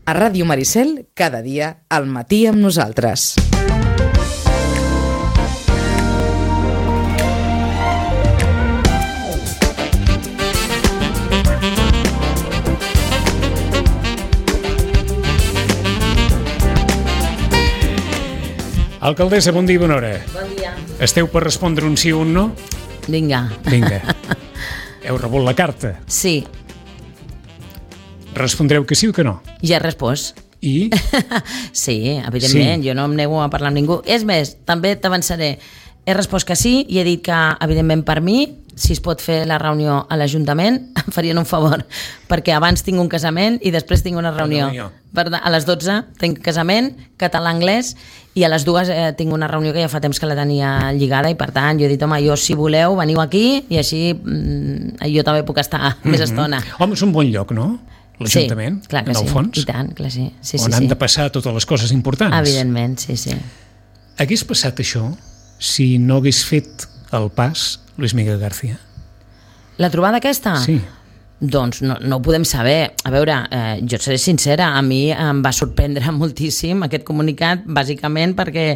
A Ràdio Maricel, cada dia, al matí amb nosaltres. Alcaldessa, bon dia i bona hora. Bon dia. Esteu per respondre un sí o un no? Vinga. Heu rebut la carta. Sí. Respondreu que sí o que no? Ja he respost. I? Sí, evidentment, jo no em nego a parlar amb ningú. És més, també t'avançaré. He respost que sí i he dit que, evidentment, per mi, si es pot fer la reunió a l'Ajuntament, em farien un favor, perquè abans tinc un casament i després tinc una reunió. A les 12 tinc casament, català-anglès, i a les 2 tinc una reunió que ja fa temps que la tenia lligada i, per tant, jo he dit, home, jo, si voleu, veniu aquí i així jo també puc estar més estona. Home, és un bon lloc, no? L'Ajuntament, sí, clar que en el fons. I tant, clar, sí. On han de passar totes les coses importants. Evidentment, sí. Hagués passat això si no hagués fet el pas Luis Miguel García? La trobada aquesta? Sí. Doncs no ho podem saber. A veure, jo seré sincera, a mi em va sorprendre moltíssim aquest comunicat, bàsicament perquè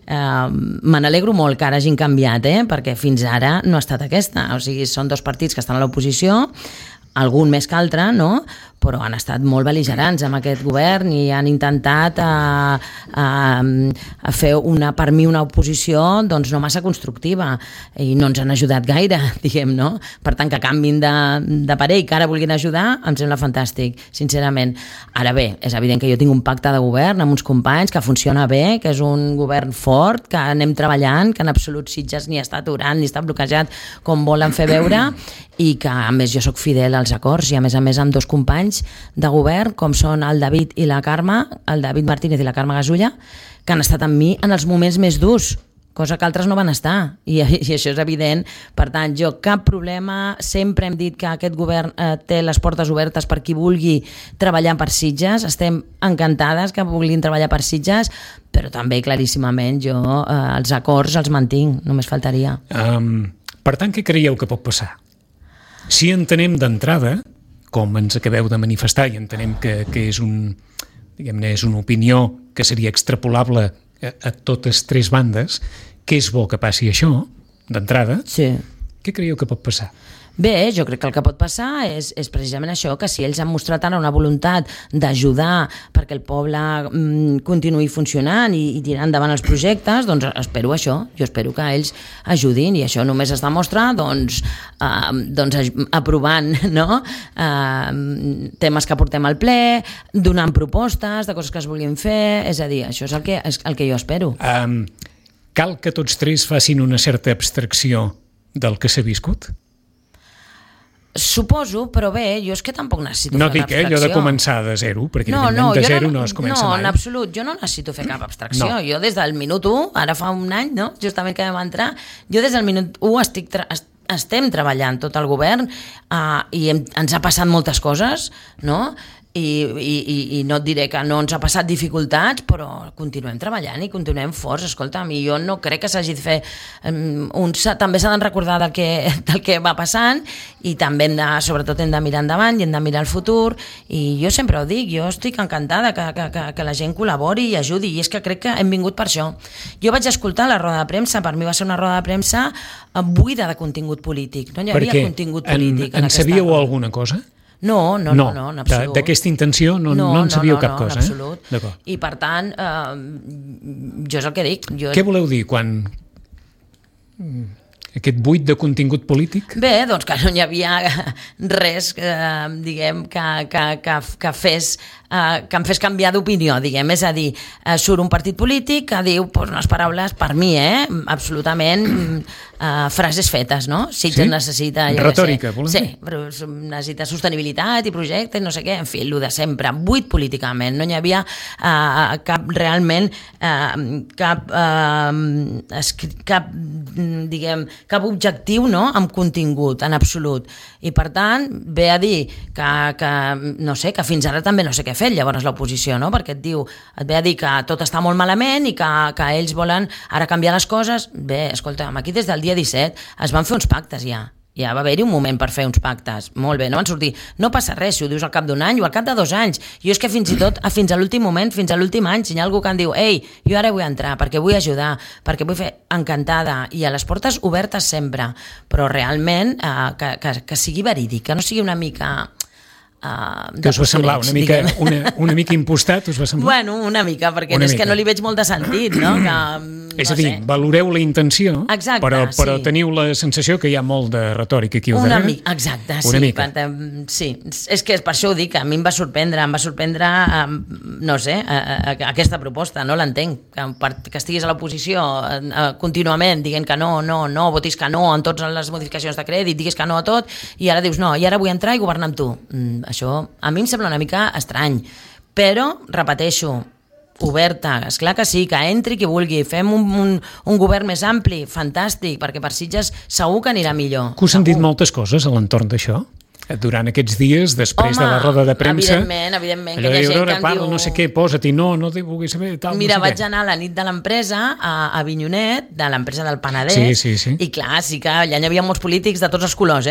me n'alegro molt que ara hagin canviat, perquè fins ara no ha estat aquesta. O sigui, són dos partits que estan a l'oposició, algun més que altre, no? Però han estat molt bel·ligerants amb aquest govern i han intentat fer per mi una oposició doncs no massa constructiva i no ens han ajudat gaire, diguem, no? Per tant, que canvin de parer i que ara vulguin ajudar, em sembla fantàstic, sincerament. Ara bé, és evident que jo tinc un pacte de govern amb uns companys que funciona bé, que és un govern fort, que anem treballant, que en absolut Sitges ni està aturant ni està bloquejat com volen fer veure i que, a més, jo sóc fidel als acords i, a més amb dos companys de govern, com són el David i la Carme, el David Martínez i la Carme Gasulla, que han estat amb mi en els moments més durs, cosa que altres no van estar, i això és evident. Per tant, jo cap problema, sempre hem dit que aquest govern té les portes obertes per qui vulgui treballar per Sitges, estem encantades que vulguin treballar per Sitges, però també claríssimament jo els acords els mantinc, només faltaria. Per tant, què creieu que pot passar? Si entenem d'entrada, com ens acabeu de manifestar, i entenem que és és una opinió que seria extrapolable a totes tres bandes, que és bo que passi això, d'entrada, sí. Què creieu que pot passar? Bé, jo crec que el que pot passar és precisament això, que si ells han mostrat ara una voluntat d'ajudar perquè el poble continuï funcionant i tirar endavant els projectes, doncs espero això, jo espero que ells ajudin i això només es demostra doncs aprovant, no? Temes que portem al ple, donant propostes de coses que es vulguin fer, és a dir, això és el que jo espero. Cal que tots tres facin una certa abstracció del que s'ha viscut? Suposo, però bé, jo és que tampoc necessito no fer dic, l'abstracció. No dic, allò de començar de zero, perquè de zero no es comença mai. No, en absolut, jo no necessito fer cap abstracció. No. Jo des del minut 1, ara fa un any, no? Justament que vam entrar, jo des del minut 1 estem treballant tot el govern i ens ha passat moltes coses, no? I no et diré que no ens ha passat dificultats, però continuem treballant i continuem forts. Escolta'm, i jo no crec que s'hagi de fer també s'ha de recordar del que va passant i també sobretot hem de mirar endavant i hem de mirar el futur, i jo sempre ho dic, jo estic encantada que la gent col·labori i ajudi, i és que crec que hem vingut per això. Jo vaig escoltar la roda de premsa, per mi va ser una roda de premsa buida de contingut polític, no hi havia contingut polític. En sabíeu alguna cosa? No, en absolut. D'aquesta intenció no en sabíeu cap cosa. En absolut. I per tant, jo és el que dic. Què voleu dir quan aquest buit de contingut polític? Bé, doncs que no hi havia res, diguem, que em fes canviar d'opinió, diguem. És a dir, surt un partit polític que diu unes paraules, per mi, absolutament frases fetes, no? Sitges necessita... Retòrica, volem dir? Sí, però necessita sostenibilitat i projectes, no sé què, en fi, el de sempre, buit políticament, no hi havia cap objectiu, no?, amb contingut, en absolut. I per tant, ve a dir que fins ara també no sé què ha fet, llavors l'oposició, no?, perquè et ve a dir que tot està molt malament i que ells volen ara canviar les coses. Bé, escolta, aquí des del dia 17 es van fer uns pactes ja, Ja va haver-hi un moment per fer uns pactes. Molt bé, no van sortir. No passa res si ho dius al cap d'un any o al cap de 2 anys. Jo és que fins i tot, fins a l'últim moment, fins a l'últim any, si hi ha algú que em diu ei, jo ara vull entrar perquè vull ajudar, perquè vull fer encantada, i a les portes obertes sempre, però realment que sigui verídic, que no sigui una mica... que us va semblar una mica impostat, us va semblar? Bueno, una mica, perquè és que no li veig molt de sentit, no? És a dir, valoreu la intenció, exacte, però teniu la sensació que hi ha molt de retòrica aquí al darrere. Exacte, sí. És que per això ho dic, a mi em va sorprendre, no sé, aquesta proposta, no l'entenc, que estiguis a l'oposició contínuament dient que no, votis que no en totes les modificacions de crèdit, diguis que no a tot, i ara dius no, i ara vull entrar i governar amb tu. Això a mi em sembla una mica estrany, però, repeteixo, oberta, esclar que sí, que entri qui vulgui, fem un govern més ampli, fantàstic, perquè per Sitges segur que anirà millor. Que us han dit moltes coses a l'entorn d'això? Durant aquests dies, després de la roda de premsa, evidentment, que hi ha gent que em diu... no sé què, posa-t'hi, no t'hi vulguis saber, tal, mira, no sé vaig anar a la nit de l'empresa a Avinyonet, de l'empresa del Penedès, sí. I clar, sí que allà hi havia molts polítics de tots els colors,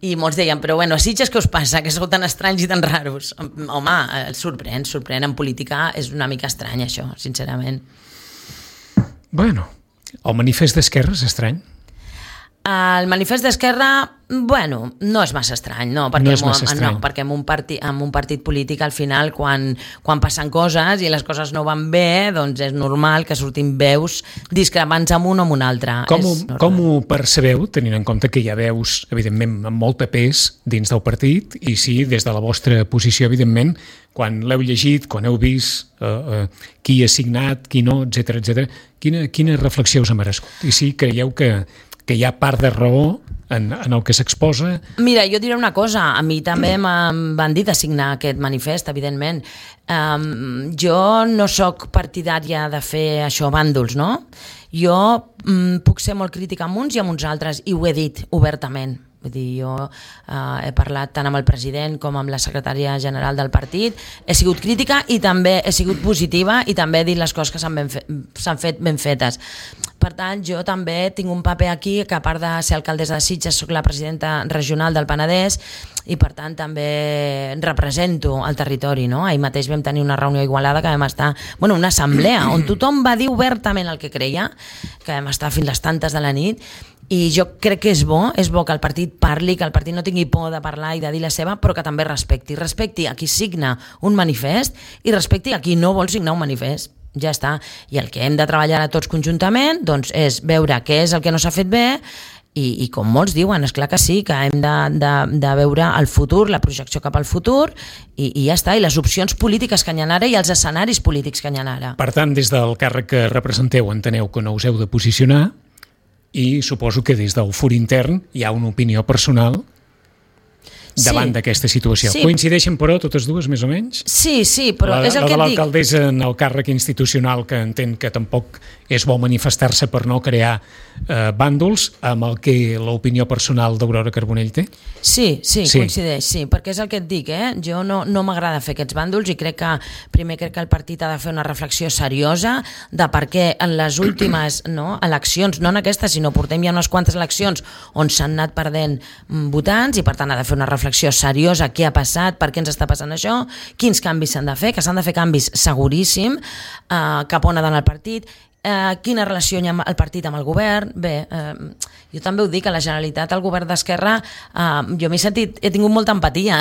i molts deien, però bueno, a Sitges què us passa, que sou tan estranys i tan raros? Home, sorprèn, en política és una mica estrany això, sincerament. Bueno, el manifest d'Esquerra és estrany? El manifest d'Esquerra, bueno, no és massa estrany, perquè en un partit polític al final quan passen coses i les coses no van bé, doncs és normal que surtin veus discrepants amb un o amb un altre. Com ho percebeu, tenint en compte que hi ha veus, evidentment, amb molta pes dins del partit, i sí, des de la vostra posició, evidentment, quan l'heu llegit, quan heu vist qui ha signat, qui no, etc. Quina reflexió us ha merescut? I sí, creieu que hi ha part de raó en el que s'exposa? Mira, jo diré una cosa, a mi també em van dir de signar aquest manifest, evidentment. Jo no sóc partidària de fer això bàndols, no? Jo puc ser molt crítica amb uns i amb uns altres, i ho he dit obertament. Vull dir, jo he parlat tant amb el president com amb la secretària general del partit, he sigut crítica i també he sigut positiva i també he dit les coses que s'han fet ben fetes. Per tant, jo també tinc un paper aquí, que a part de ser alcaldessa de Sitges, soc la presidenta regional del Penedès, i per tant també represento el territori, no? Ahir mateix vam tenir una reunió a Igualada que vam estar, una assemblea on tothom va dir obertament el que creia, que vam estar fins les tantes de la nit, i jo crec que és bo que el partit parli, que el partit no tingui por de parlar i de dir la seva, però que també respecti a qui signa un manifest i respecti a qui no vol signar un manifest. Ja està. I el que hem de treballar a tots conjuntament doncs, és veure què és el que no s'ha fet bé i com molts diuen, esclar que sí, que hem de veure el futur, la projecció cap al futur i ja està, i les opcions polítiques que hi ha ara i els escenaris polítics que hi ha ara. Per tant, des del càrrec que representeu enteneu que no us heu de posicionar i suposo que des del fur intern hi ha una opinió personal davant d'aquesta situació. Sí. Coincideixen, però, totes dues, més o menys? Sí, però és el que et dic. La de l'alcaldessa en el càrrec institucional, que entenc que tampoc és bo manifestar-se per no crear bàndols, amb el que l'opinió personal d'Aurora Carbonell té? Sí, coincideix, sí, perquè és el que et dic, jo no m'agrada fer aquests bàndols i crec que el partit ha de fer una reflexió seriosa de per què en les últimes eleccions, no en aquestes, sinó portem ja unes quantes eleccions on s'han anat perdent votants, i per tant ha de fer una reflexió seriosa, què ha passat, per què ens està passant això, quins canvis s'han de fer, que s'han de fer canvis seguríssim, cap on ha d'anar el partit, quina relació hi ha el partit amb el govern. Bé, jo també ho dic, a la Generalitat, el govern d'Esquerra, jo he tingut molta empatia,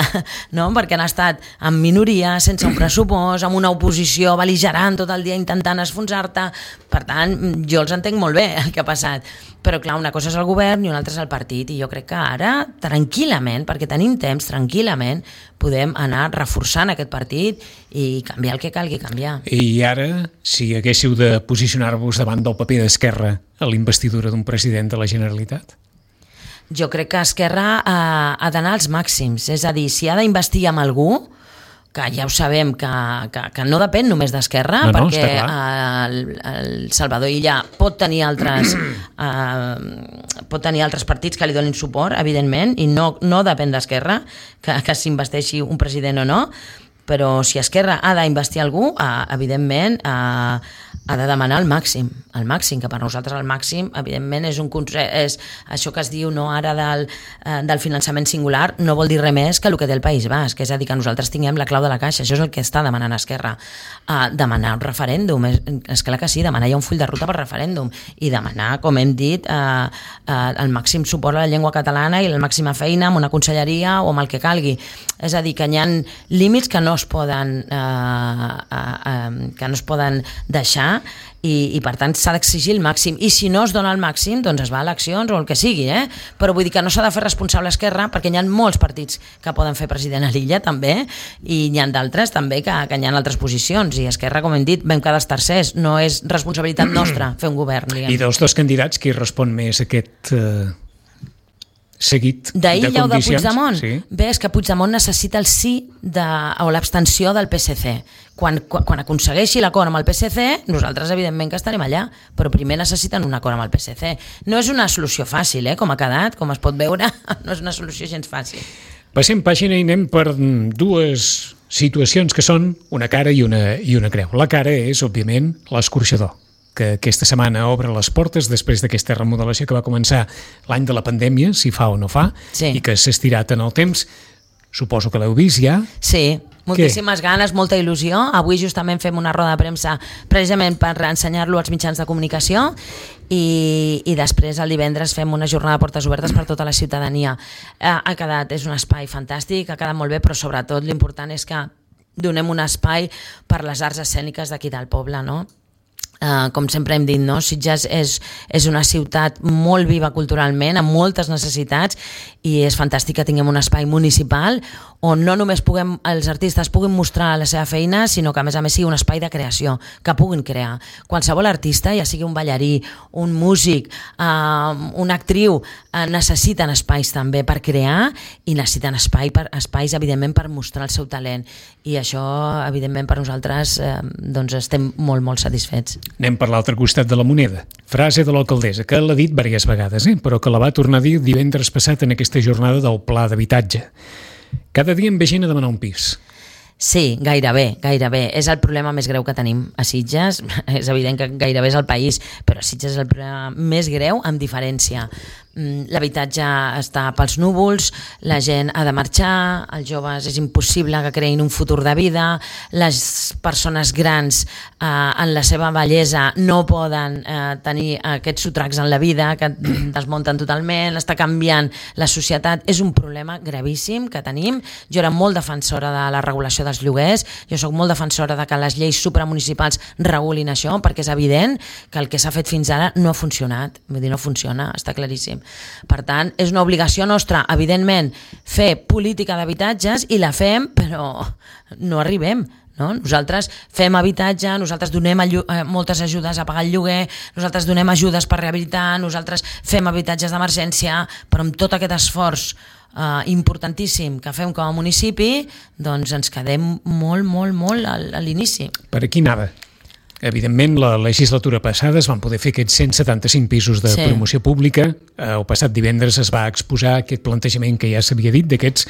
no? Perquè han estat en minoria, sense un pressupost, amb una oposició bel·ligerant tot el dia intentant esfonsar-te. Per tant, jo els entenc molt bé el que ha passat, però clar, una cosa és el govern i una altra és el partit, i jo crec que ara, tranquil·lament, perquè tenim temps, tranquil·lament podem anar reforçant aquest partit i canviar el que calgui canviar. I ara, si haguéssiu de posicionar-vos davant del paper d'Esquerra a la investidura d'un president de la Generalitat? Jo crec que Esquerra ha d'anar als màxims, és a dir, si ha d'investir amb algú, que ja ho sabem que no depèn només d'Esquerra, perquè el Salvador Illa pot tenir altres partits que li donin suport, evidentment, i no depèn d'Esquerra que s'investeixi un president o no, però si Esquerra ha d'investir algú, evidentment ha de demanar el màxim, que per nosaltres el màxim, evidentment, és això que es diu no ara del finançament singular, no vol dir res més que el que té el País Basc, és a dir, que nosaltres tinguem la clau de la caixa, això és el que està demanant Esquerra. Demanar un referèndum, és clar que sí, demanar ja un full de ruta per referèndum, i demanar, com hem dit, el màxim suport a la llengua catalana i la màxima feina amb una conselleria o amb el que calgui. És a dir, que hi ha límits que no es poden deixar, i per tant s'ha d'exigir el màxim, i si no es dona el màxim doncs es va a eleccions o el que sigui, però vull dir que no s'ha de fer responsable Esquerra, perquè hi ha molts partits que poden fer president a l'illa també, i hi ha d'altres també que hi ha altres posicions, i Esquerra, com hem dit, vam quedar els tercers, no és responsabilitat nostra fer un govern, diguem. I dels dos candidats, qui respon més a aquest seguit de condicions? D'Illa o de Puigdemont? Sí. Bé, és que Puigdemont necessita el sí o l'abstenció del PSC. Quan aconsegueixi l'acord amb el PSC, nosaltres evidentment que estarem allà, però primer necessiten un acord amb el PSC. No és una solució fàcil, com ha quedat, com es pot veure, no és una solució gens fàcil. Passem pàgina i anem per dues situacions que són una cara i una creu. La cara és, òbviament, l'escorxador, que aquesta setmana obre les portes després d'aquesta remodelació que va començar l'any de la pandèmia, si fa o no fa, sí, i que s'ha estirat en el temps. Suposo que l'heu vist ja. Sí, moltíssimes ganes, molta il·lusió. Avui justament fem una roda de premsa precisament per ensenyar-lo als mitjans de comunicació i després el divendres fem una jornada de portes obertes per tota la ciutadania. És un espai fantàstic, ha quedat molt bé, però sobretot l'important és que donem un espai per les arts escèniques d'aquí del poble, no? Com sempre hem dit, no? Sitges és una ciutat molt viva culturalment, amb moltes necessitats, i és fantàstic que tinguem un espai municipal on no només els artistes puguin mostrar la seva feina, sinó que a més sigui un espai de creació, que puguin crear. Qualsevol artista, ja sigui un ballarí, un músic, una actriu, necessiten espais també per crear, i necessiten espais, evidentment, per mostrar el seu talent. I això, evidentment, per nosaltres doncs estem molt, molt satisfets. Anem per l'altre costat de la moneda. Frase de l'alcaldessa, que l'ha dit diverses vegades, però que la va tornar a dir divendres passat en aquesta jornada del pla d'habitatge. Cada dia em ve gent a demanar un pis. Sí, gairebé. És el problema més greu que tenim a Sitges. És evident que gairebé és el país, però Sitges és el problema més greu, amb diferència. L'habitatge està pels núvols, la gent ha de marxar, els joves és impossible que creïn un futur de vida, les persones grans en la seva bellesa no poden tenir aquests sotracs en la vida, que desmunten totalment, està canviant la societat. És un problema gravíssim que tenim. Jo era molt defensora de la regulació dels lloguers, jo sóc molt defensora de que les lleis supramunicipals regulin això, perquè és evident que el que s'ha fet fins ara no ha funcionat, vull dir, no funciona, està claríssim. Per tant, és una obligació nostra, evidentment, fer política d'habitatges, i la fem, però no arribem. No? Nosaltres fem habitatge, nosaltres donem moltes ajudes a pagar el lloguer, nosaltres donem ajudes per rehabilitar, nosaltres fem habitatges d'emergència, però amb tot aquest esforç importantíssim que fem com a municipi, doncs ens quedem molt a l'inici. Per aquí anava. Evidentment, la legislatura passada es van poder fer aquests 175 pisos de promoció pública. El passat divendres es va exposar aquest plantejament que ja s'havia dit, d'aquests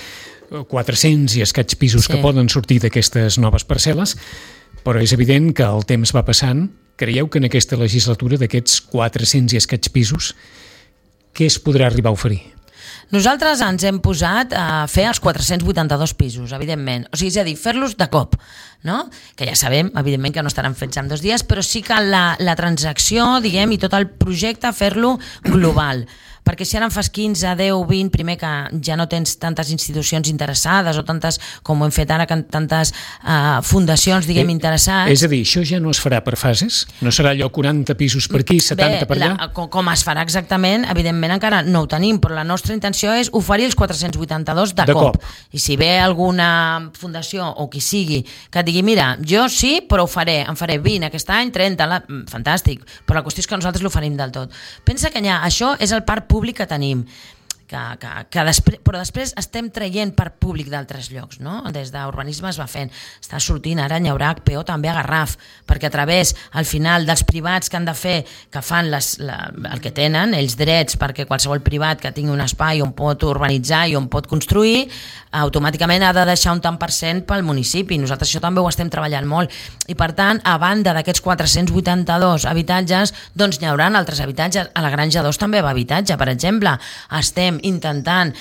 400 i escaig pisos que poden sortir d'aquestes noves parcel·les, però és evident que el temps va passant. Creieu que en aquesta legislatura, d'aquests 400 i escaig pisos, què es podrà arribar a oferir? Nosaltres ens hem posat a fer els 482 pisos, evidentment. O sigui, és a dir, fer-los de cop, no? Que ja sabem, evidentment, que no estaran fets en 2 dies, però sí que la transacció, diguem, i tot el projecte, fer-lo global. Perquè si ara en fas 15, 10, 20, primer que ja no tens tantes institucions interessades o tantes, com ho hem fet ara, tantes fundacions, diguem, interessades. És a dir, això ja no es farà per fases? No serà allò 40 pisos per aquí, 70 per allà? Com es farà exactament, evidentment encara no ho tenim, però la nostra intenció és oferir els 482 de cop. I si ve alguna fundació o qui sigui que et digui, mira, jo sí, però ho faré, en faré 20 aquest any, 30, fantàstic, però la qüestió és que nosaltres l'oferim del tot. Pensa que això és el parc públic que tenim. Però després estem traient per públic d'altres llocs, no? Des d'urbanisme es va fent, està sortint, ara n'hi haurà HPO també a Garraf, perquè a través, al final, dels privats que han de fer, que fan el que tenen, ells drets, perquè qualsevol privat que tingui un espai on pot urbanitzar i on pot construir, automàticament ha de deixar un tant per cent pel municipi. Nosaltres això també ho estem treballant molt. I per tant, a banda d'aquests 482 habitatges, doncs n'hi haurà altres habitatges. A la Granja 2 també va habitatge, per exemple. Estem intentant,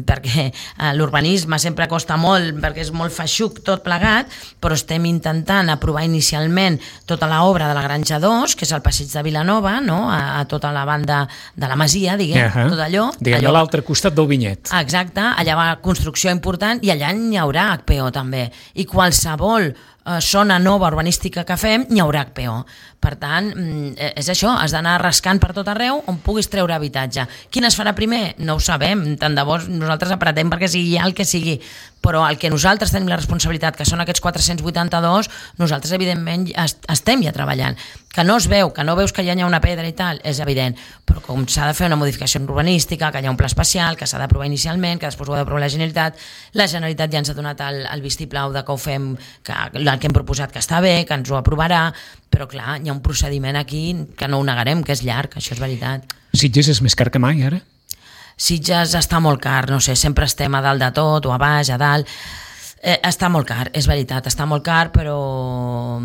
perquè l'urbanisme sempre costa molt, perquè és molt feixuc tot plegat, però estem intentant aprovar inicialment tota l'obra de la Granja 2, que és el passeig de Vilanova, no? A tota la banda de la Masia, diguem, tot allò. Diguem, a l'altre costat del Vinyet. Exacte, allà va construcció important i allà n'hi haurà HPO també. I qualsevol zona nova urbanística que fem, n'hi haurà HPO. Per tant, és això, has d'anar rascant per tot arreu on puguis treure habitatge. Quin es farà primer? No ho sabem, tant de bo nosaltres apretem perquè sigui ja el que sigui, però el que nosaltres tenim la responsabilitat, que són aquests 482, nosaltres evidentment estem ja treballant. Que no es veu, que no veus que ja hi ha una pedra i tal, és evident, però com s'ha de fer una modificació urbanística, que hi ha un pla especial, que s'ha d'aprovar inicialment, que després ho ha d'aprovar la Generalitat ja ens ha donat el vistiplau de que ho fem, que el que hem proposat que està bé, que ens ho aprovarà, però clar, hi ha un procediment aquí que no ho negarem, que és llarg, això és veritat. Sitges és més car que mai, ara? Sitges està molt car, no sé, sempre estem a dalt de tot, o a baix, a dalt. Està molt car, és veritat, està molt car, però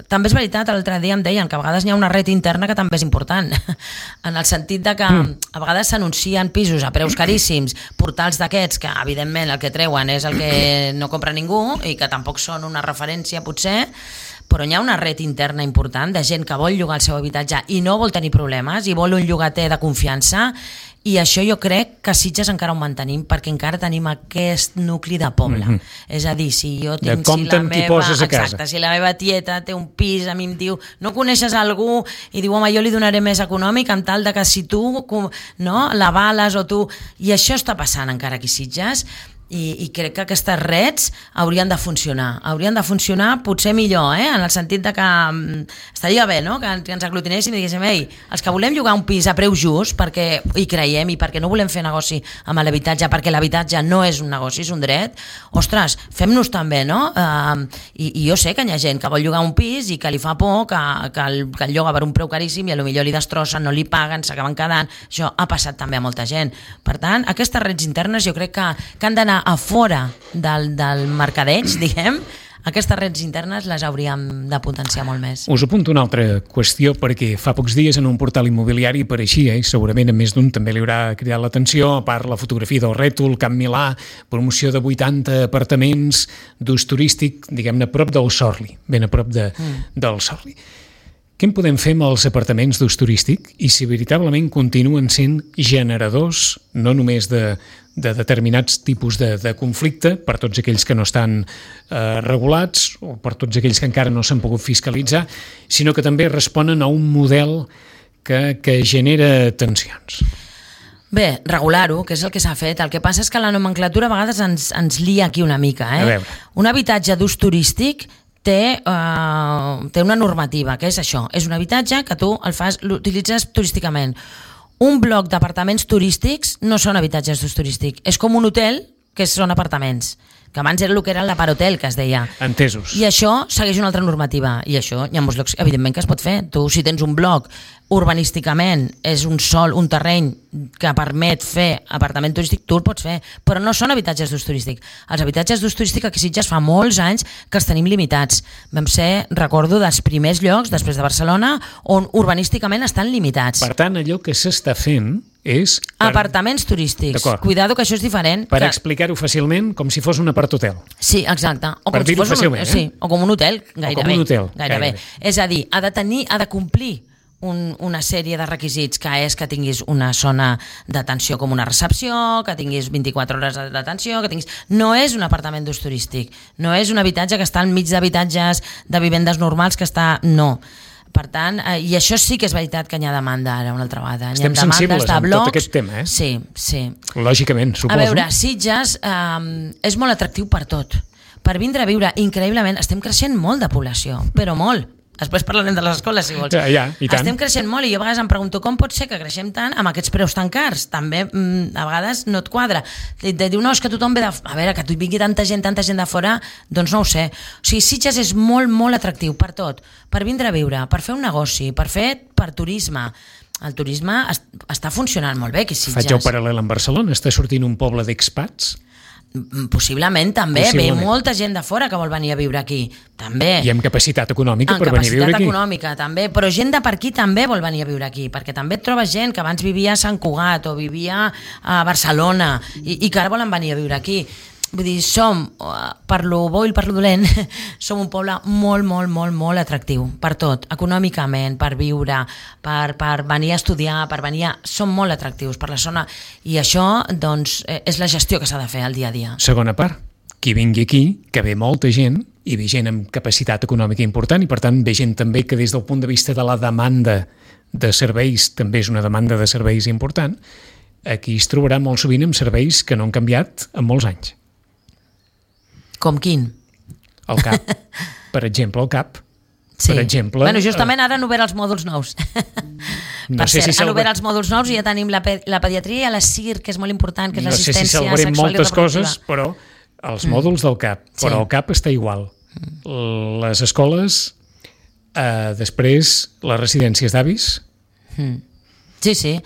també és veritat, l'altre dia em deien que a vegades hi ha una red interna que també és important, en el sentit de que a vegades s'anuncien pisos a preus caríssims, portals d'aquests que evidentment el que treuen és el que no compra ningú i que tampoc són una referència potser, però hi ha una red interna important de gent que vol llogar el seu habitatge i no vol tenir problemes i vol un llogater de confiança, i això jo crec que a Sitges encara ho mantenim perquè encara tenim aquest nucli de poble. És a dir, si jo tinc... Si la meva tieta té un pis, a mi em diu, no coneixes algú? I diu, home, jo li donaré més econòmic en tal de que si tu l'avales o tu... I això està passant encara aquí a Sitges, i crec que aquestes reds haurien de funcionar potser millor, en el sentit de que estaria bé, no? Que ens aglutinéssim i diguéssim, ei, els que volem llogar un pis a preu just perquè hi creiem i perquè no volem fer negoci amb l'habitatge, perquè l'habitatge no és un negoci, és un dret, ostres, fem-nos també, no? I jo sé que hi ha gent que vol llogar un pis i que li fa por que el lloga per un preu caríssim i potser li destrossen, no li paguen, s'acaben quedant. Això ha passat també a molta gent. Per tant, aquestes reds internes jo crec que han d'anar a fora del mercadeig, diguem. Aquestes reds internes les hauríem de potenciar molt més. Us apunto una altra qüestió, perquè fa pocs dies en un portal immobiliari apareixia, i segurament a més d'un també li haurà cridat l'atenció, a part la fotografia del rètol, Camp Milà, promoció de 80 apartaments d'ús turístic, diguem-ne, a prop del Sorli, ben a prop del Sorli. Què en podem fer amb els apartaments d'ús turístic i si veritablement continuen sent generadors no només de determinats tipus de conflicte per tots aquells que no estan regulats o per tots aquells que encara no s'han pogut fiscalitzar, sinó que també responen a un model que genera tensions? Bé, regular-ho, que és el que s'ha fet. El que passa és que la nomenclatura a vegades ens lia aquí una mica. Un habitatge d'ús turístic té una normativa, que és això, és un habitatge que tu l'utilitzes turísticament. Un bloc d'apartaments turístics no són habitatges d'ús turístic, és com un hotel que són apartaments, que abans era el que era l'aparhotel, que es deia. Entesos. I això segueix una altra normativa, i això hi ha molts llocs, evidentment, que es pot fer. Tu, si tens un bloc, urbanísticament, és un terreny que permet fer apartament turístic, tu el pots fer, però no són habitatges d'ús turístic. Els habitatges d'ús turístic aquí a Sitges fa molts anys que els tenim limitats. Vam ser, recordo, dels primers llocs, després de Barcelona, on urbanísticament estan limitats. Per tant, allò que s'està fent és... Apartaments turístics. Cuidado, que això és diferent. Per explicar-ho fàcilment, com si fos un apart-hotel. Sí, exacte. Per dir-ho fàcilment, sí, o com un hotel, gairebé. O com un hotel. Gairebé. És a dir, ha de complir una sèrie de requisits, que és que tinguis una zona d'atenció com una recepció, que tinguis 24 hores d'atenció, que tinguis... No és un apartament d'ús turístic, no és un habitatge que està enmig d'habitatges de vivendes normals que està... No. Per tant, i això sí que és veritat que hi ha demanda ara una altra vegada. Estem sensibles amb tot aquest tema, eh? Sí, sí. Lògicament, suposo. A veure, Sitges és molt atractiu per tot. Per vindre a viure, increïblement, estem creixent molt de població, però molt. Després parlarem de les escoles, si vols. Ja, i tant. Estem creixent molt i jo a vegades em pregunto com pot ser que creixem tant amb aquests preus tan cars. També a vegades no et quadra. Diu, no, és que tothom ve de... A veure, que vingui tanta gent de fora, doncs no ho sé. O sigui, Sitges és molt, molt atractiu per tot. Per vindre a viure, per fer un negoci, per turisme. El turisme està funcionant molt bé aquí a Sitges. Faig el paral·lel amb Barcelona. Està sortint un poble d'expats. Possiblement també, ve molta gent de fora que vol venir a viure aquí, també. I amb capacitat econòmica per venir a viure aquí. Capacitat econòmica, també, però gent de per aquí també vol venir a viure aquí, perquè també et trobes gent que abans vivia a Sant Cugat o vivia a Barcelona i que ara volen venir a viure aquí. Vull dir, som, per lo bo i per lo dolent, som un poble molt, molt, molt, molt atractiu, per tot, econòmicament, per viure, per venir a estudiar, som molt atractius per la zona, i això, doncs, és la gestió que s'ha de fer al dia a dia. Segona part, qui vingui aquí, que ve molta gent, i ve gent amb capacitat econòmica important, i per tant ve gent també que des del punt de vista de la demanda de serveis, també és una demanda de serveis important, aquí es trobarà molt sovint amb serveis que no han canviat en molts anys. Com quin? El CAP. Per exemple, el CAP. Sí. Per exemple... Bueno, justament ara han obert els mòduls nous. Per cert, han obert els mòduls nous i ja tenim la pediatria i la CIR, que és molt important, que és l'assistència sexual i reproductiva. No sé si salvarem moltes coses, però els mòduls del CAP, però el CAP està igual. Les escoles, després les residències d'avis... Sí, sí.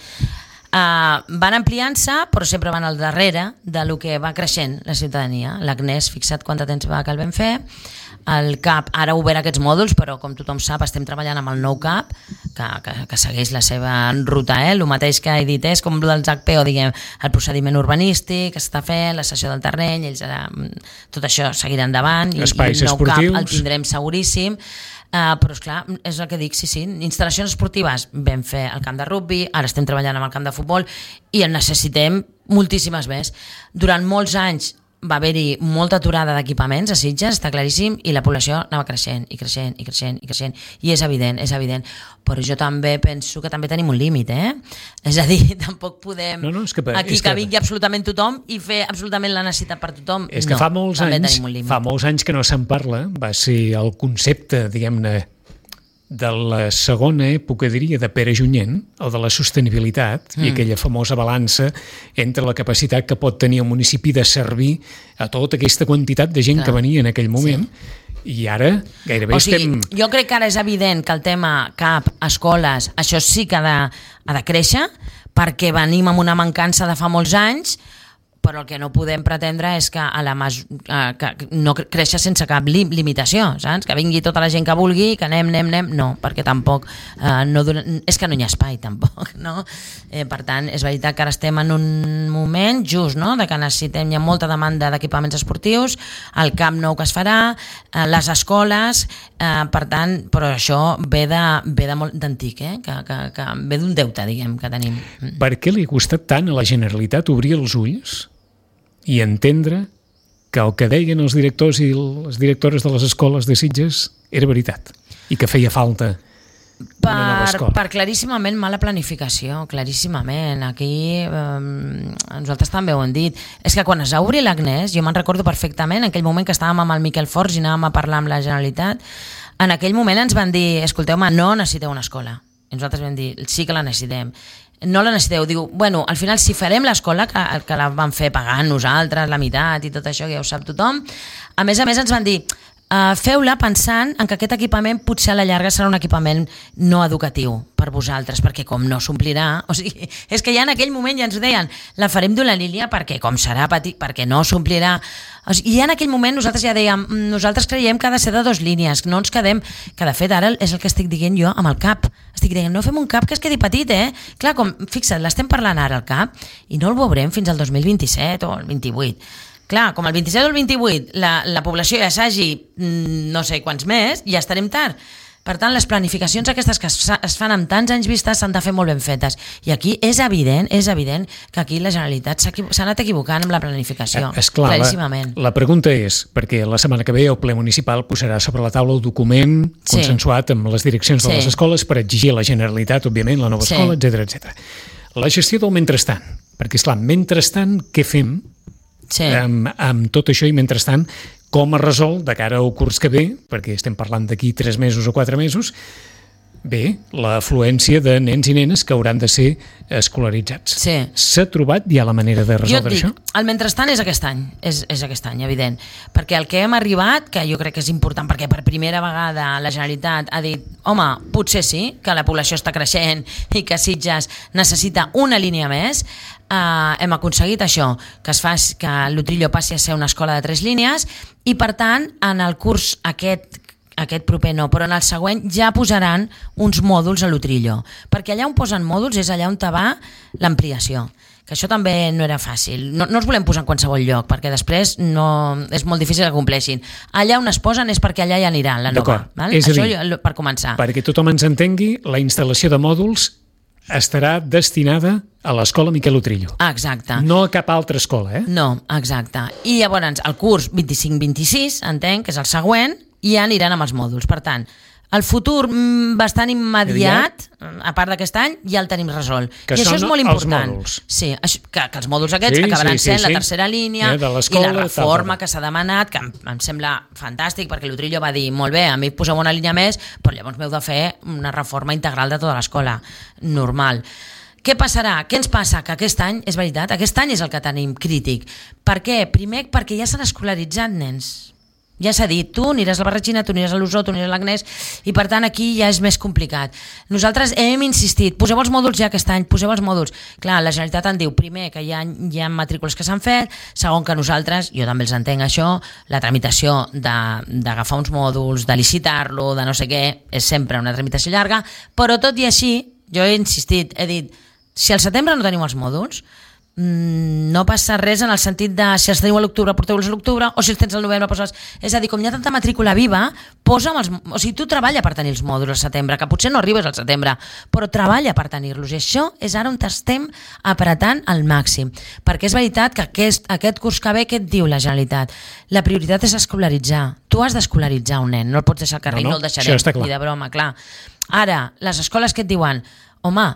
Van ampliant-se, però sempre van al darrere de lo que va creixent la ciutadania. L'Agnès, fixa't quant de temps va que el vam fer. El CAP ara ha obert aquests mòduls, però com tothom sap estem treballant amb el nou CAP que segueix la seva ruta, el mateix que he dit, és com el dels HPO, diguem, el procediment urbanístic que s'està fent, la cessió del terreny, tot això seguirà endavant i el nou CAP el tindrem seguríssim. Però esclar, és el que dic, sí, instal·lacions esportives vam fer al camp de rugby, ara estem treballant amb el camp de futbol i en necessitem moltíssimes més. Durant molts anys va haver-hi molta aturada d'equipaments a Sitges, està claríssim, i la població anava creixent i creixent i creixent i creixent, i és evident, però jo també penso que també tenim un límit, és a dir, tampoc podem que vingui absolutament tothom i fer absolutament la necessitat per tothom. És que fa molts anys que no se'n parla, va ser el concepte, diguem-ne, de la segona època, diria, de Pere Junyent, el de la sostenibilitat, i aquella famosa balança entre la capacitat que pot tenir el municipi de servir a tota aquesta quantitat de gent que venia en aquell moment, i ara gairebé estem... Jo crec que ara és evident que el tema CAP, escoles, això sí que ha de créixer, perquè venim amb una mancança de fa molts anys, però el que no podem pretendre és que que no créixer sense cap limitació, saps? Que vingui tota la gent que vulgui, que anem, no, perquè tampoc és que no hi ha espai tampoc, no? Per tant, és veritat que ara estem en un moment just, no?, de que necessitem, hi ha molta demanda d'equipaments esportius, el camp nou que es farà, les escoles, per tant, però això ve de molt d'antic, que ve d'un deute, diguem, que tenim. Per què li ha costat tant a la Generalitat obrir els ulls i entendre que el que deien els directors i les directores de les escoles de Sitges era veritat i que feia falta una nova escola? Per claríssimament mala planificació, claríssimament. Aquí nosaltres també ho hem dit. És que quan es va obrir l'Agnès, jo me'n recordo perfectament, en aquell moment que estàvem amb el Miquel Forns i anàvem a parlar amb la Generalitat, en aquell moment ens van dir, escolteu-me, no necessiteu una escola. I nosaltres vam dir, sí que la necessitem. No la necessiteu, diu, bueno, al final si farem l'escola, que la vam fer pagant nosaltres, la meitat i tot això, que ja ho sap tothom, a més ens van dir, feu-la pensant en que aquest equipament potser a la llarga serà un equipament no educatiu per vosaltres, perquè com no s'omplirà, o sigui, és que ja en aquell moment ja ens ho deien, la farem d'una línia perquè com serà petit, perquè no s'omplirà, o sigui, i ja en aquell moment nosaltres ja dèiem, nosaltres creiem que ha de ser de 2 línies, no ens quedem, que de fet ara és el que estic dient jo amb el CAP, estic dient, no fem un CAP que es quedi petit, clar, com, fixa't, l'estem parlant ara al CAP i no el veurem fins al 2027 o el 28. Clar, com el 27 o el 28 la població ja s'hagi no sé quants més, ja estarem tard. Per tant, les planificacions aquestes que es fan amb tants anys vistes s'han de fer molt ben fetes. I aquí és evident que aquí la Generalitat s'ha anat equivocant amb la planificació. Esclar, claríssimament. La pregunta és, perquè la setmana que ve el ple municipal posarà sobre la taula el document consensuat amb les direccions de les escoles per exigir a la Generalitat, òbviament, la nova escola, etc. La gestió del mentrestant, perquè esclar, mentrestant, què fem? Amb tot això i mentrestant com es resol de cara al curs que ve, perquè estem parlant d'aquí 3 mesos o 4 mesos, bé, l'afluència de nens i nenes que hauran de ser escolaritzats. Sí. S'ha trobat ja la manera de resoldre això? Jo et dic, el mentrestant és aquest any, és aquest any, evident. Perquè el que hem arribat, que jo crec que és important, perquè per primera vegada la Generalitat ha dit, home, potser sí, que la població està creixent i que Sitges necessita una línia més, hem aconseguit això, que que l'Utrillo passi a ser una escola de 3 línies i, per tant, en el curs aquest proper no, però en el següent ja posaran uns mòduls a l'Utrillo, perquè allà on posen mòduls és allà on te va l'ampliació, que això també no era fàcil. No els volem posar en qualsevol lloc, perquè després és molt difícil que compleixin. Allà on es posen és perquè allà ja aniran, la nova. Val? És això a dir, per començar. Perquè tothom ens entengui, la instal·lació de mòduls estarà destinada a l'escola Miquel Utrillo. Exacte. No a cap altra escola, eh? No, exacte. I llavors el curs 25-26, entenc, que és el següent, i ja aniran amb els mòduls. Per tant, el futur bastant immediat, a part d'aquest any, ja el tenim resolt. Que i això és molt important. Els mòduls. Sí, que els mòduls aquests acabaran sent la tercera línia de i la reforma que s'ha demanat, que em sembla fantàstic, perquè l'Utrillo va dir, molt bé, a mi poseu una línia més, però llavors m'heu de fer una reforma integral de tota l'escola. Normal. Què passarà? Què ens passa? Que aquest any, és veritat, aquest any és el que tenim crític. Per què? Primer, perquè ja s'han escolaritzat nens. Ja s'ha dit, tu aniràs a la Barratxina, tu aniràs a l'Usó, tu aniràs a l'Agnès, i per tant aquí ja és més complicat. Nosaltres hem insistit, poseu els mòduls ja aquest any, poseu els mòduls. Clar, la Generalitat en diu, primer, que hi ha matrícules que s'han fet, segon, que nosaltres, jo també els entenc això, la tramitació d'agafar uns mòduls, de licitar-lo, de no sé què, és sempre una tramitació llarga, però tot i així, jo he insistit, he dit, si al setembre no tenim els mòduls, no passa res en el sentit de si els teniu a l'octubre, porteu-los a l'octubre, o si els tens al novembre, posa'ls. És a dir, com hi ha tanta matrícula viva, o sigui, tu treballa per tenir els mòduls al setembre, que potser no arribes al setembre, però treballa per tenir-los, i això és ara on estem apretant al màxim, perquè és veritat que aquest curs que ve, què et diu la Generalitat? La prioritat és escolaritzar. Tu has d'escolaritzar un nen, no el pots deixar al carrer, no el deixarem, ni de broma, clar. Ara, les escoles que et diuen, home,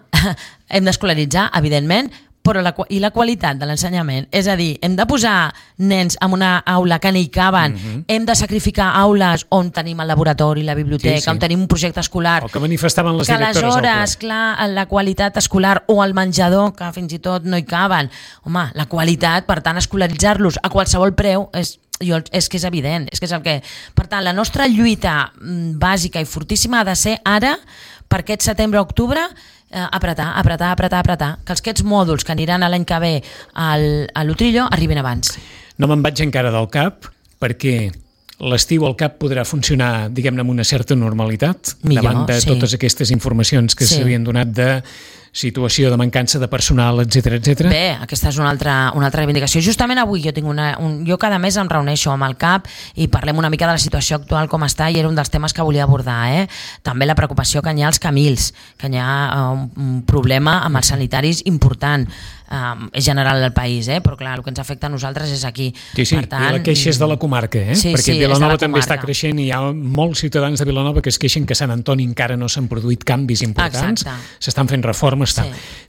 hem d'escolaritzar, evidentment, però la qualitat de l'ensenyament, és a dir, hem de posar nens en una aula que no hi caben, hem de sacrificar aules on tenim el laboratori, la biblioteca, on tenim un projecte escolar, el que manifestaven les directores, que aleshores, clar, la qualitat escolar o el menjador, que fins i tot no hi caben, home, la qualitat, per tant, escolaritzar-los a qualsevol preu és que és evident, és que és el que... Per tant, la nostra lluita bàsica i fortíssima ha de ser ara, per aquest setembre-octubre, apretar, que aquests mòduls que aniran l'any que ve a l'Utrillo arribin abans. No me'n vaig encara del CAP, perquè l'estiu el CAP podrà funcionar, diguem-ne, amb una certa normalitat, davant de totes aquestes informacions que s'havien donat de situació de mancança de personal, etc. Bé, aquesta és una altra reivindicació. Justament avui jo cada mes em reuneixo amb el CAP i parlem una mica de la situació actual, com està, i era un dels temes que volia abordar. També la preocupació que hi ha als Camils, que hi ha un problema amb els sanitaris important. És general del país, però clar, el que ens afecta a nosaltres és aquí. Sí, per tant, i la queixa és de la comarca, perquè Vilanova també està creixent i hi ha molts ciutadans de Vilanova que es queixen que a Sant Antoni encara no s'han produït canvis importants, s'estan fent reformes.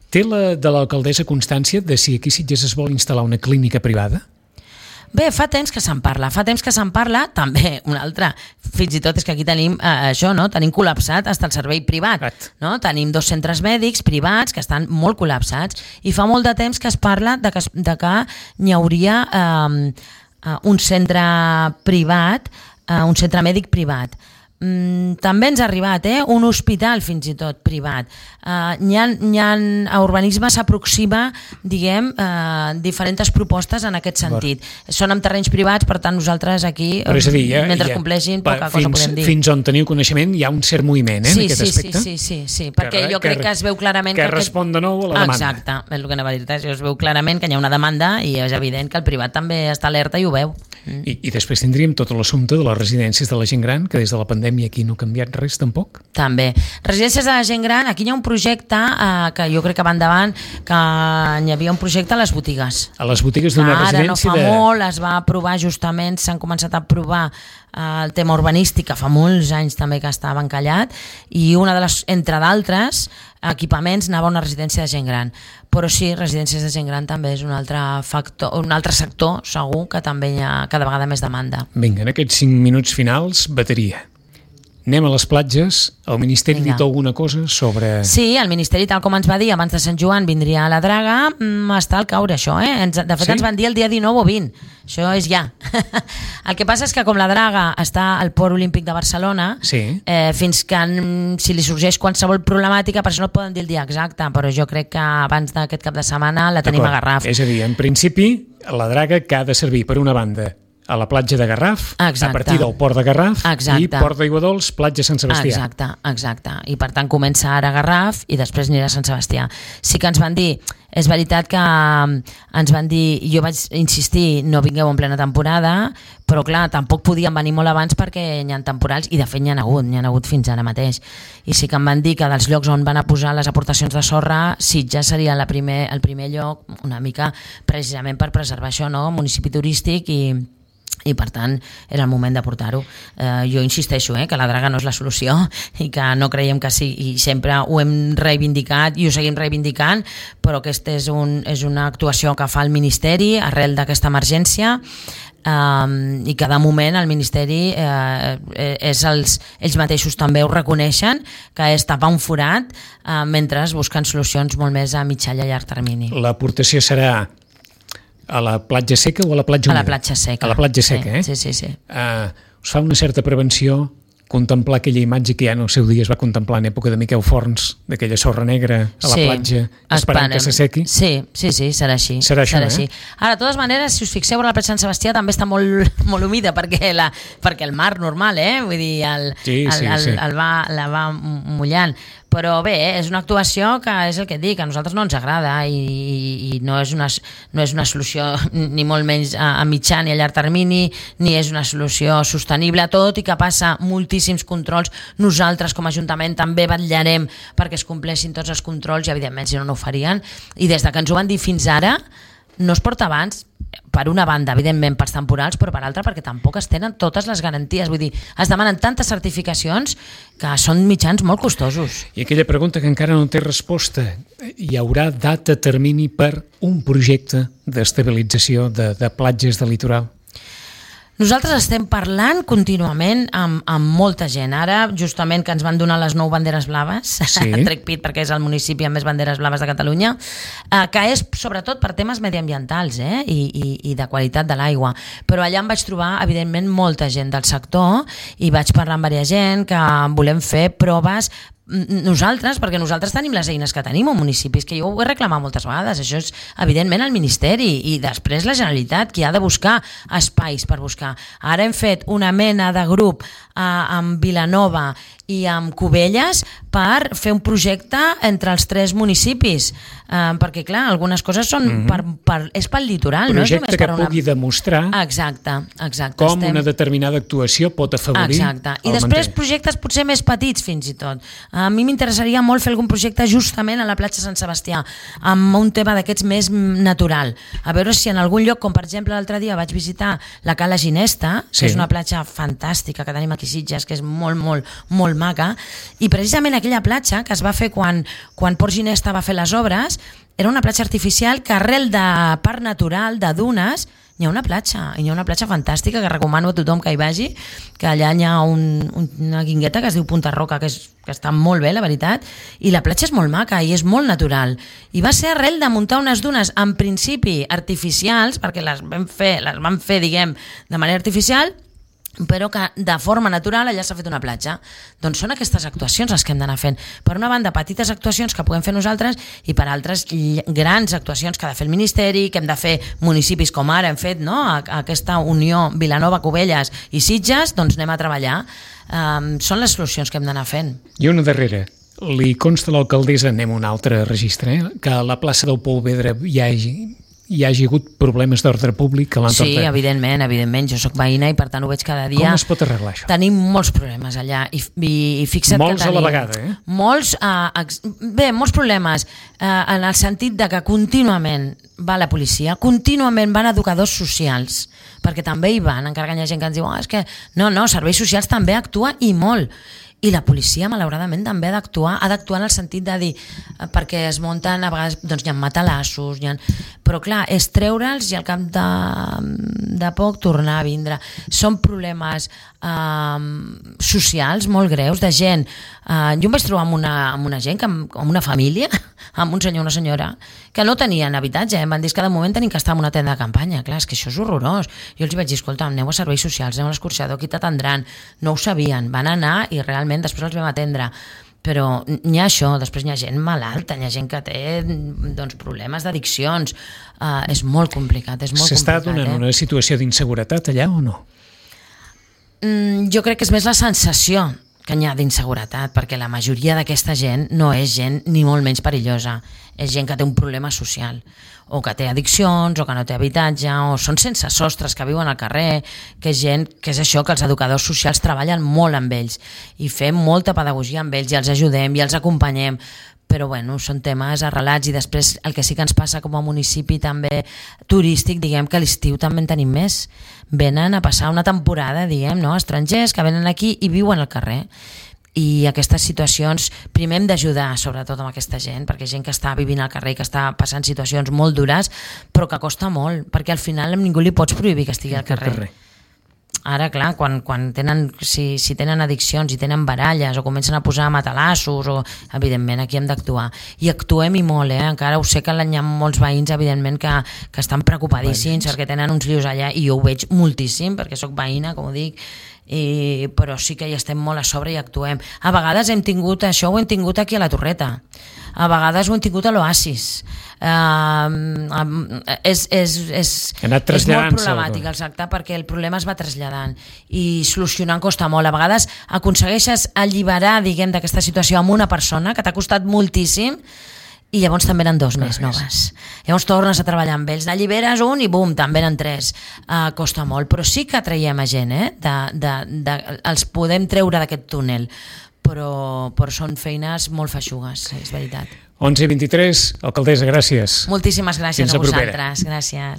Té de l'alcaldessa constància de si aquí a Sitges es vol instal·lar una clínica privada? Bé, fa temps que se'n parla, també una altra, fins i tot és que aquí tenim això, no? Tenim col·lapsat fins al servei privat, no? Tenim 2 centres mèdics privats que estan molt col·lapsats i fa molt de temps que es parla de que n'hi hauria un centre privat, un centre mèdic privat. També ens ha arribat un hospital fins i tot privat. A urbanisme s'aproxima, diguem, diferents propostes en aquest sentit. Són en terrenys privats, per tant nosaltres aquí, mentre compleixin, poca cosa podem dir. Fins on teniu coneixement hi ha un cert moviment en aquest aspecte? Sí, perquè jo crec que es veu clarament que respon de nou a la demanda. Exacte, és el que anava a dir-te, es veu clarament que hi ha una demanda i és evident que el privat també està alerta i ho veu. I després tindríem tot l'assumpte de les residències de la gent gran, que des de la pandèmia aquí no ha canviat res tampoc. També. Residències de la gent gran, aquí hi ha un projecte que jo crec que va endavant, que hi havia un projecte a les botigues. A les botigues d'una residència Ara no fa molt, es va aprovar justament, s'han començat a aprovar el tema urbanístic, que fa molts anys també que estava encallat, i entre d'altres equipaments anava a una residència de gent gran. Però sí, residències de gent gran també és un altre factor, un altre sector segur que també hi ha cada vegada més demanda. Vinga, en aquests 5 minuts finals, bateria. Anem a les platges. El Ministeri ha dit alguna cosa sobre... Sí, el Ministeri, tal com ens va dir abans de Sant Joan, vindria a la Draga, està al caure això, eh? De fet, ens van dir el dia 19 o 20. Això és ja. El que passa és que com la Draga està al Port Olímpic de Barcelona, fins que si li sorgeix qualsevol problemàtica, per això no et poden dir el dia exacte, però jo crec que abans d'aquest cap de setmana la tenim a Garraf. És a dir, en principi, la Draga que ha de servir, per una banda, a la platja de Garraf, a partir del port de Garraf, i Port d'Aiguadols, platja Sant Sebastià. Exacte. I per tant comença ara a Garraf i després anirà a Sant Sebastià. Sí que ens van dir, és veritat que ens van dir, jo vaig insistir, no vingueu en plena temporada, però clar, tampoc podíem venir molt abans perquè hi ha temporals, i de fet n'hi ha hagut fins ara mateix. I sí que em van dir que dels llocs on van a posar les aportacions de sorra, Sitges seria el primer lloc, una mica precisament per preservar això, no? Municipi turístic i per tant era el moment de portar-ho. Jo insisteixo que la Draga no és la solució i que no creiem que sí, i sempre ho hem reivindicat i ho seguim reivindicant, però aquesta és una actuació que fa el Ministeri arrel d'aquesta emergència, i que de moment el Ministeri ells mateixos també ho reconeixen, que és tapar un forat mentre busquen solucions molt més a mitjà i a llarg termini. L'aportació serà a la platja seca o a la platja humida? A la platja seca. A la platja seca, Sí. Us fa una certa prevenció contemplar aquella imatge que ja en el seu dia es va contemplar en època de Miquel Forns, d'aquella sorra negra a la platja, esperant que s'assequi? Sí, serà així. Serà així. Ara, de totes maneres, si us fixeu, a la platja Sant Sebastià també està molt humida, perquè el mar normal, vull dir, la va mullant. Però bé, és una actuació que és el que et dic, a nosaltres no ens agrada i no és una solució ni molt menys a mitjà ni a llarg termini, ni és una solució sostenible, tot i que passa moltíssims controls. Nosaltres com a Ajuntament també vetllarem perquè es compleixin tots els controls i evidentment si no ho farien, i des de que ens ho van dir fins ara no es porta abans, per una banda, evidentment, pels temporals, però per altra perquè tampoc es tenen totes les garanties. Vull dir, es demanen tantes certificacions que són mitjans molt costosos. I aquella pregunta que encara no té resposta, hi haurà data termini per un projecte d'estabilització de platges del litoral? Nosaltres estem parlant contínuament amb molta gent. Ara, justament que ens van donar les 9 banderes blaves, trec pit perquè és el municipi amb més banderes blaves de Catalunya, que és sobretot per temes mediambientals i de qualitat de l'aigua. Però allà em vaig trobar, evidentment, molta gent del sector i vaig parlar amb diversa gent que volem fer proves perquè nosaltres tenim les eines que tenim a municipis, que jo ho he reclamat moltes vegades. Això és evidentment el Ministeri i després la Generalitat, qui ha de buscar espais per buscar. Ara hem fet una mena de grup amb Vilanova i amb Cubelles per fer un projecte entre els 3 municipis, perquè clar, algunes coses són és pel litoral, no és només per que pugui demostrar com una determinada actuació pot afavorir i després projectes potser més petits fins i tot. A mi m'interessaria molt fer algun projecte justament a la platja Sant Sebastià amb un tema d'aquests més natural, a veure si en algun lloc, com per exemple l'altre dia vaig visitar la Cala Ginesta, que és una platja fantàstica que tenim aquí a Sitges, que és molt maca, i precisament aquella platja que es va fer quan Port Ginesta va fer les obres era una platja artificial que arrel de parc natural, de dunes, hi ha una platja fantàstica que recomano a tothom que hi vagi, que allà hi ha una guingueta que es diu Punta Roca, que està molt bé, la veritat, i la platja és molt maca i és molt natural, i va ser arrel de muntar unes dunes en principi artificials, perquè les van fer diguem, de manera artificial, però que de forma natural allà s'ha fet una platja. Doncs són aquestes actuacions les que hem d'anar fent. Per una banda, petites actuacions que puguem fer nosaltres i per altres, grans actuacions que ha de fer el Ministeri, que hem de fer municipis com ara hem fet, no? Aquesta unió Vilanova, Cubelles i Sitges, doncs anem a treballar. Són les solucions que hem d'anar fent. I una darrera. Li consta a l'alcaldessa, anem a un altre registre, que a la plaça del Polvedre hi hagi hi hagi hagut problemes d'ordre públic a l'entorn? Sí, evidentment. Jo sóc veïna i per tant ho veig cada dia. Com es pot arreglar això? Tenim molts problemes allà i fixa't molts que tenim... a la vegada, eh? Molts problemes en el sentit de que contínuament va la policia, contínuament van educadors socials, perquè també hi van, encara que hi ha gent que ens diu és que no, serveis socials també actua i molt. I la policia, malauradament, també ha d'actuar en el sentit de dir, perquè es munten, a vegades doncs, hi ha matalassos, però clar, és treure'ls i al cap de poc tornar a vindre. Són problemes socials molt greus, de gent. Jo em vaig trobar amb una gent, amb una família, amb un senyor i una senyora, que no tenien habitatge, em van dir que de moment tenim que estar en una tenda de campanya. Clar, és que això és horrorós. Jo els vaig dir, escolta, aneu a serveis socials, aneu a l'escorxador, aquí t'atendran. No ho sabien, van anar i realment després els vam atendre. Però n'hi ha això, després n'hi ha gent malalta, n'hi ha gent que té doncs, problemes d'addiccions. És molt complicat, és molt complicat. S'està donant una situació d'inseguretat allà o no? Jo crec que és més la sensació que n'hi ha d'inseguretat, perquè la majoria d'aquesta gent no és gent ni molt menys perillosa, és gent que té un problema social, o que té addiccions, o que no té habitatge, o són sense sostres que viuen al carrer, que és gent, que és això, que els educadors socials treballen molt amb ells, i fem molta pedagogia amb ells, i els ajudem, i els acompanyem, però bueno, són temes arrelats. I després el que sí que ens passa com a municipi també turístic, diguem que a l'estiu també en tenim més, venen a passar una temporada, diguem, no? Estrangers que venen aquí i viuen al carrer, i aquestes situacions primer hem d'ajudar sobretot amb aquesta gent, perquè gent que està vivint al carrer i que està passant situacions molt dures però que costa molt, perquè al final a ningú li pots prohibir que estigui al carrer. Ara, clar, quan tenen, si tenen addiccions i tenen baralles o comencen a posar matalassos, evidentment aquí hem d'actuar. I actuem i molt, encara ho sé que hi ha molts veïns, evidentment, que estan preocupadíssims perquè tenen uns lius allà, i jo ho veig moltíssim perquè sóc veïna, com ho dic, però sí que hi estem molt a sobre i actuem. A vegades hem tingut això, ho hem tingut aquí a la Torreta, a vegades ho hem tingut a l'Oasis. És molt problemàtic, exacte, perquè el problema es va traslladant i solucionant costa molt. A vegades aconsegueixes alliberar, diguem, d'aquesta situació amb una persona que t'ha costat moltíssim, i llavors també eren dos més noves. Llavors tornes a treballar amb ells, n'alliberes un i bum, també eren tres. Costa molt, però sí que traiem a gent, els podem treure d'aquest túnel, però són feines molt feixugues, és veritat. 11:23, alcaldessa, gràcies. Moltíssimes gràcies a vosaltres. Gràcies.